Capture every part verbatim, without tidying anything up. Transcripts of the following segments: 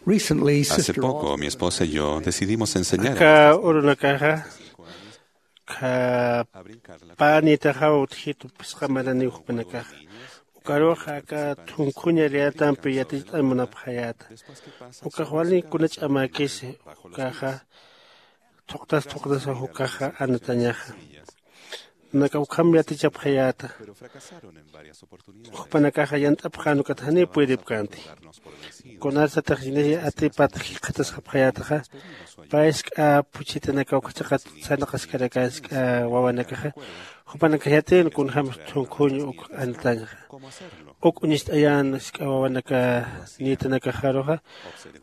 Recently, Hace sister poco, mi esposa y yo decidimos enseñar a aka urunakaxa, kha panitaxaw utjitu phisqa maraniw jupanakaxa. Ukarux aka thunkhuña riyatampi yaticht'añ munapxayäta. Ukax wali kuna ch'amäkisi, ukaxa thuqtas thuqtasaw ukaxa anatañaxa. Naka ukham yatichapxayäta. Jupanakaxa yant'apxän ukat janiw puydipkänti. Kunarsatix yinisi atipat jikxatasxapxayätaxa, pä isk'a phuchhitanakaw ukhachaqa sarnaqaskarakä isk'a wawanakaxa, jupanakax yatïn kunjämsa thunkhuñ uk anitañxa. Uk uñist'ayän isk'a wawanaka nitanakaxaruxa,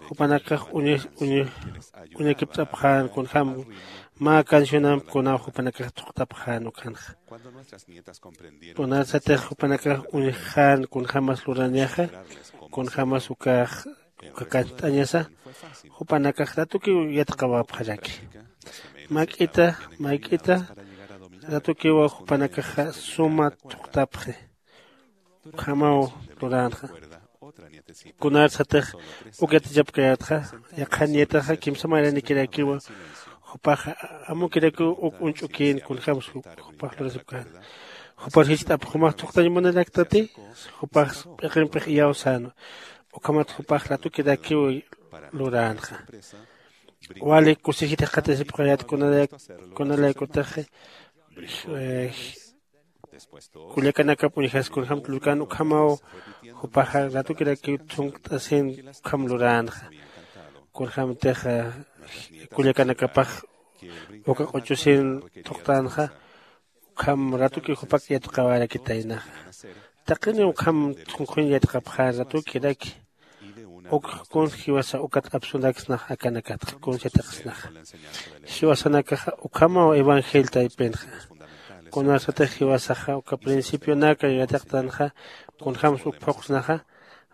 jupanakax uñakipt'apxän kunjäm mä cancionamp kunaw jupanakax thuqtapxän ukhanxa. Kunarsatix jupanakax uñjxän kunjämas luranixa, kunjämas ukax uka kant'añasa, jupanakax ratukiw yatiqawapxaraki. Mayk'ita mayk'ita ratukiwa jupanakaxa suma thuqtapxi. Ukhamaw luränxa. Kunarsatix uk yatichapkayätxa, yaqhan niyataxa kimsa maranikirakiwa jupaxa amukirakiw uk uñch'ukïn kunjämsa jupax lurasipkän. Jupar jicht'apx jumax thuqtañ munaraktati, jupax p'iqimpix iyaw sänwa. Ukhamat jupax ratukirakiw luränxa. Wali kusisita jikxatasipxayät kunalaykutixi kullakanakap uñjas kunjämt lurkän ukhamaw. Jupaxa ratukirakiw thunt'asin ukham luränxa. Kunjämtix kullakanakapax uka q'uchusin thuqtänxa. Ukham ratuki jupak yatiqawarakitaynaxa. Taqini ukham thunkhuñ yatiqapxä ratukiraki. Ukx kuns jiwasa ukat apsuraksnax akanakatxa kuns yatiqsnaxa. Jiwasanakaxa ukhamaw evangelio taypinxa. Kunarsatix jiwasaxa uka principionaka yatiqtanxa, kunjämsa uk phuqsnaxa,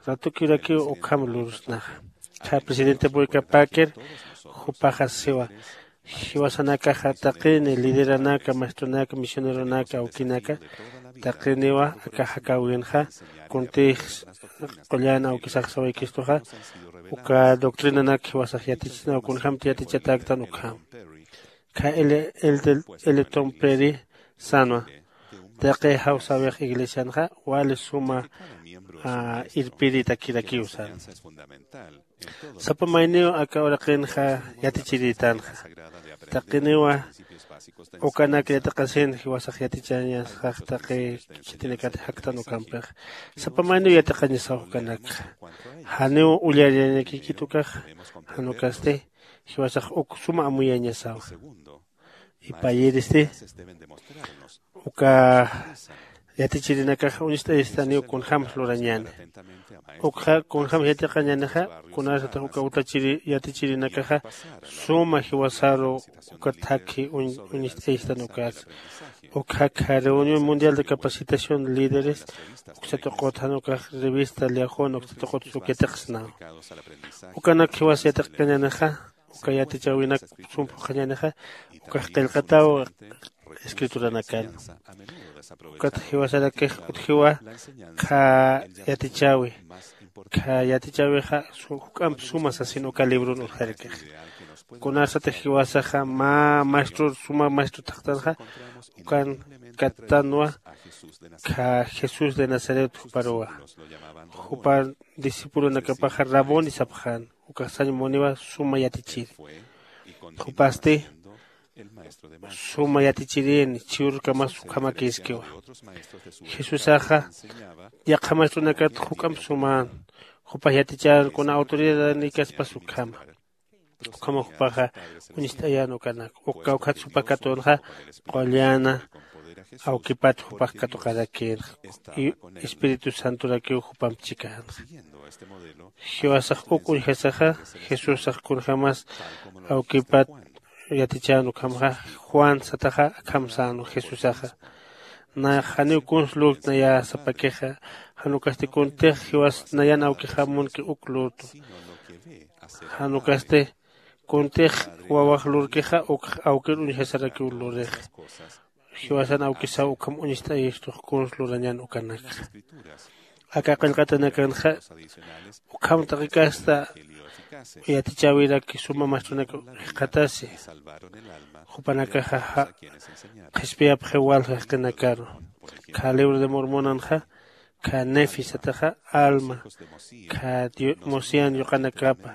ratukirakiw ukham lursnaxa. Kha presidente purikapäkir jupaxa siwa, jiwasanakaxa taqini lideranaka maestronaka misioneronaka awkinaka, taqiniwa aka jakäwinxa kuntix qullan awkisax sawaykistuxa, uka doctrinanak jiwasax yatichisnaw kunjämti yatichatäktan ukham. Kha elton peri sänwa, taqi jawsäwix iglesianxa wali suma irpiritakirakiw sänwa. Sapa mayniw aka uraqinxa yatichirïtänxa. Taqiniwa ukanak yatiqasin jiwasax yatichañasax taqi chitinakat jaktan ukampix. Sapa mayniw yatiqañasaw ukanakxa. Janiw ullariñakikit ukaxa. Jan ukasti jiwasax uk suma amuyañasawa. Ipayiristi uka yatichirinakaxa uñst'ayistaniw kunjämsa lurañäni. Ukxa kunjämsa yatiqañänixa, kunarsatix uka uta yatichirinakaxa suma jiwasaru uka thakhi uñst'ayistan ukasa. Ukxa kha reunión mundial de capacitación líderes uksa tuqut jan ukax revista liajun uksa tuqut uk yatiqsnaw. Ukanak jiwas yatiqkañänixa, uka yatichäwinak sum phuqhañänixa, ukax qillqataw escrituranakan. Ukat jiwasarakix utjiwa kha yatichäwi. Kha yatichäwixa juk'amp suma sasin uka librun urjarakix. Kunarsatix jiwasaxa mä maestror suma maestro thaqtanxa, ukan kattanwa kha jesús de nazaret juparuwa. Jupar discipulonakapaxa raboni sapxän, ukax sañ muniwa suma yatichiri. Jupasti suma yatichirini chiwrkamas ukhamakïskiwa. Jesusaxa yaqha maestronakat juk'amp sumän. Jupax yatichän kuna autoridadnikaspas ukhama. Ukhama jupaxa uñst'ayän ukanak uk kawkhat supa katunxa, qullana awkipat jupax katuqarakïnxa. Espíritu santorakiw jupamp chikänxa. Jiwasax uk uñjasaxa, jesusax kunjämas awkipat yatichän ukhamxa, juan sataxa akham sänwa jesusaxa. Nayax janiw kuns lurtnayä sapakixa. Jan ukasti kuntix jiwas nayan awkixam munki uk lurtwa. Jan ukasti kuntix wawax lurkixa ukx awkir uñjasarakiw lurixa. Jiwasan awkisaw ukham uñst'ayistux kuns lurañän ukanakxa. Aka qillqatanakanxa ukham taqikasta yatichäwiraki suma mastronaka jikxatasi. Jupanakaxa qhispiyapxiw walja jaqinakaru. Kha libro de mormonanxa kha nefi sataxa alma kha mosian yuqanakapa.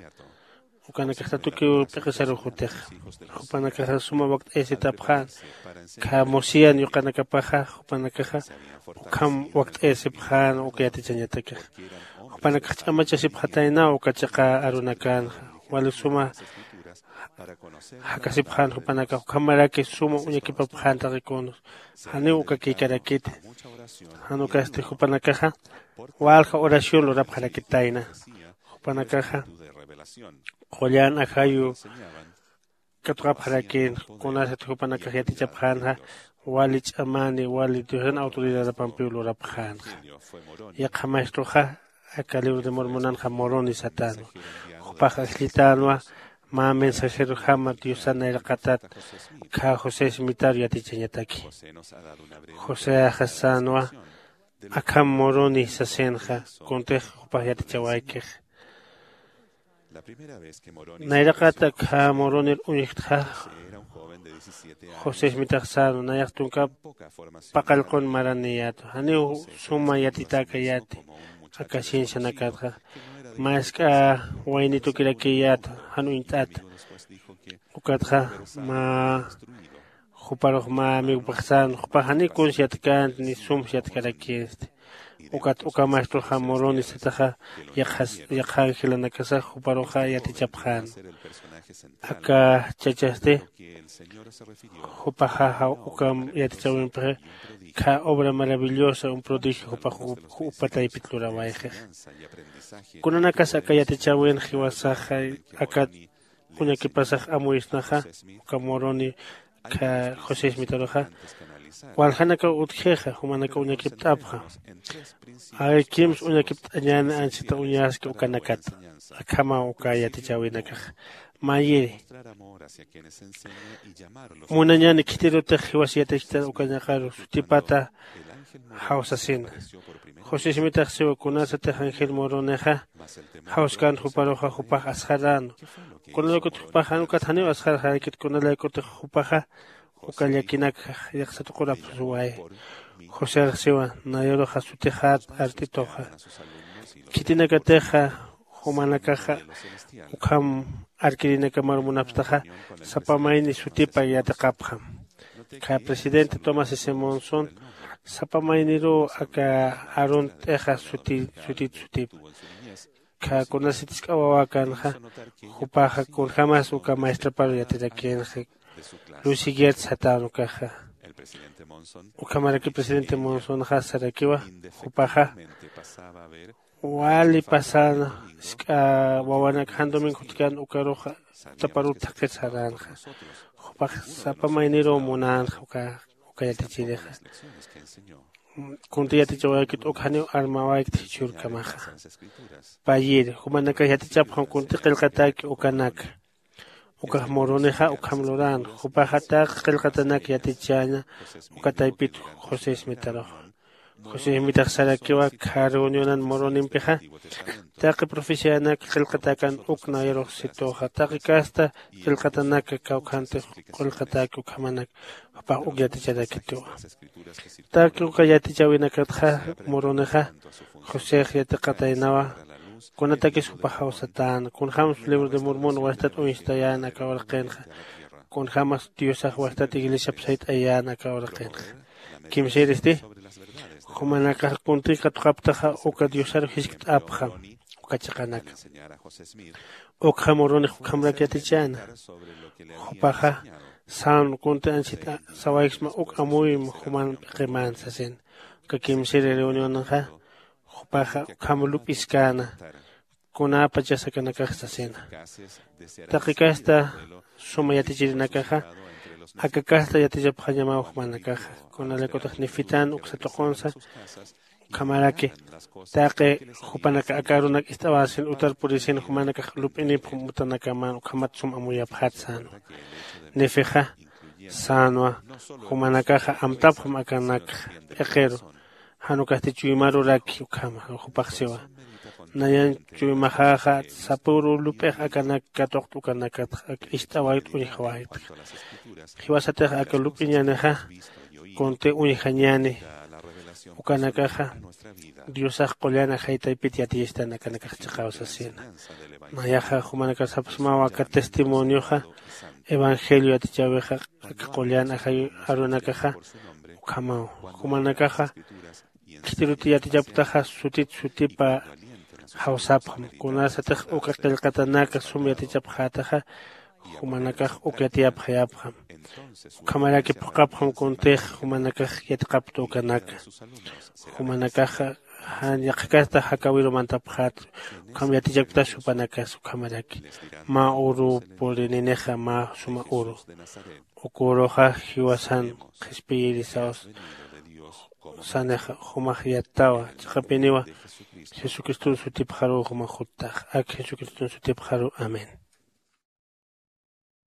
Ukanakaxta tukiw p'iqisaruxutixa. Jupanakaxa suma wakt'ayasitapxän kha mosian yuqanakapaxa. Jupanakaxa ukham wakt'ayasipxän uka yatichañatakixa. Jupanakax ch'amachasipxataynaw uka chiqa arunakänxa. Wali suma jakasipxän jupanakax ukhamaraki suma uñakipapxän taqi kunus. Janiw uka kïkarakiti. Jan ukasti jupanakaxa walja oración lurapxarakitayna. Jupanakaxa qullan ajayu katuqapxarakïn. Kunasat jupanakax yatichapxänxa wali ch'amani wali diosan autoridadapampiw lurapxänxa. Yaqha maestroxa aka libro de mormonanxa moroni satänwa. Jupax ajllitänwa mä mensajerojama diosan nayraqatat kha josé smitaru yatichañataki. Joseaxa sänwa akham moroni sasinxa. Kuntix jupax yatichawaykixa. Nayraqat akha moronir uñjtxa josé smitax sänwa nayax tunkap paqallqun maraniyätwa janiw suma yatitäkayäti. Aka ciencianakatxa mä isk'a waynitukirakiyätwa jan uñt'ata. Ukatxa mä juparux mä amigopixsan jupax janiw kuns yatkänti ni sums yatkarakïnsti. Ukat uka maestroxa moroni sataxa yaqha angelanakasax juparuxa yatichapxän. Aka chachasti jupaxaxa uka yatichäwimpixi kha obra maravillosa un prodigio jupax jupa taypit lurawayxix. Kunanakas aka yatichäwin jiwasaxa akat uñakipasax amuyisnaxa uka moroni kha josé smitaruxa waljanakaw utjixa jumanakaw uñakipt'apxa. Ay kimsa uñakipt'añäni anchita uñaski ukanakata. Akhamaw uka yatichäwinakaxa mayiri munañäni khitirutix jiwas yatichkta ukañaqaru sutipata jawsasina. José smitax siwa kunasatix angel moronexa jawskan juparuxa jupax asxaran. Kunalaykutix jupax jan ukat janiw asxarxarakit kunalaykutix jupaxa uka llakinakxa yaqsatuqurapxsuway. Joserax siwa nayaruxa sutixat art'ituxa. Khitinakatixa jumanakaxa ukham arkirinakamaru munapxtaxa sapa mayni sutipa yatiqapxam. Kha presidente tomás simonson sapa mayniruw aka arunt'ixa sutit sutip. Kha kunasitisk'a wawäkanxa jupaxa kunjämas uka maestraparu yatirakïnxa. Lucy gertz satänukaxa ukhamaraki presidente monsonxa sarakiwa jupaxa wali pasana isk'a wawanak jan domingo jutkan ukaruxa taparut thaqhir saränxa. Jupax sapa mayniruw munänxa uka yatichirixa. Kunti yatichawayakit uk janiw armawaykit jichhürkamaxa. Payir jumanakax yatichapxam kunti qillqatäki ukanaka. Ukax murunixa ukham lurän jupaxa taqi qillqatanak yatichäña. Uka taypit josé ismitaruxa josé ismitax sarakiwa kha reunionan murunimpixa taqi profecianak qillqatäkan uk nayarux situxa taqi kasta qillqatanak kawkhantix qillqatäki ukhamanak jupax uk yaticharakituwa. Taqi uka yatichäwinakatxa murunixa josex yatiqataynawa. Kunatakis jupaxaw satäna kunjämas libro de murmuna wastat uñstayäna aka uraqinxa kunjämas diosax wastat iglesiap sayt'ayäna aka uraqinxa. Kimsïristi jumanakax kuntï katuqaptaxa uka diosaru jiskt'apxam uka chiqanaka. Ukxa murunix ukhamrak yatichäna jupaxa sän kunti anchhit sawayksma uk amuyma juman p'iqimän sasina. Uka kimsiri reunionxa jupaxa ukham lup'iskäna kunäpachas akanakax sasina. Taqi kasta suma yatichirinakaxa aka kasta yatichapxañamaw jumanakaxa kunalaykutix nefitän uksa tuqunsa ukhamaraki taqi jupanaka aka arunak ist'awasin utar purisin jumanakax lup'inipxam utanakaman ukhamat sum amuyapxat sänwa. Nefixa sänwa jumanakaxa amtapxam akanakxa p'iqiru jan ukasti chuymaruraki ukhama jupax siwa. Nayan chuymaxäxa sapüru lup'ix akanak katuqt'u ukanakatxa ak ist'awayt'u uñjawaytxa. Jiwasatix aka lup'iñanixa kunti uñjañäni ukanakaxa diosax qullan ajaytaypit yatiyastan akanakax chiqaw sasina. Nayaxa jumanakasapxsmaw aka testimonioxa evangelio yatichäwixa aka qullan ajay arunakaxa ukhamaw. Jumanakaxa khitiruti yatichapktaxa sutit sutipa jawsapxam kunasatix uka qillqatanaka sum yatichapxätaxa jumanakax uk yatiyapxayapxam. Ukhamaraki phuqhapxam kuntix jumanakax yatiqapkta ukanaka jumanakax jan yaqhakasta jakäwiru mantapxäta. Ukham yatichapktas jupanakas ukhamaraki mä uru purininixa mä suma uru uka uruxa jiwasan qhispiyirisaw sanixa jumax yattawa chiqapiniwa jesucriston sutipxaruw jumax juttax ak jesucriston sutipxaruw amén.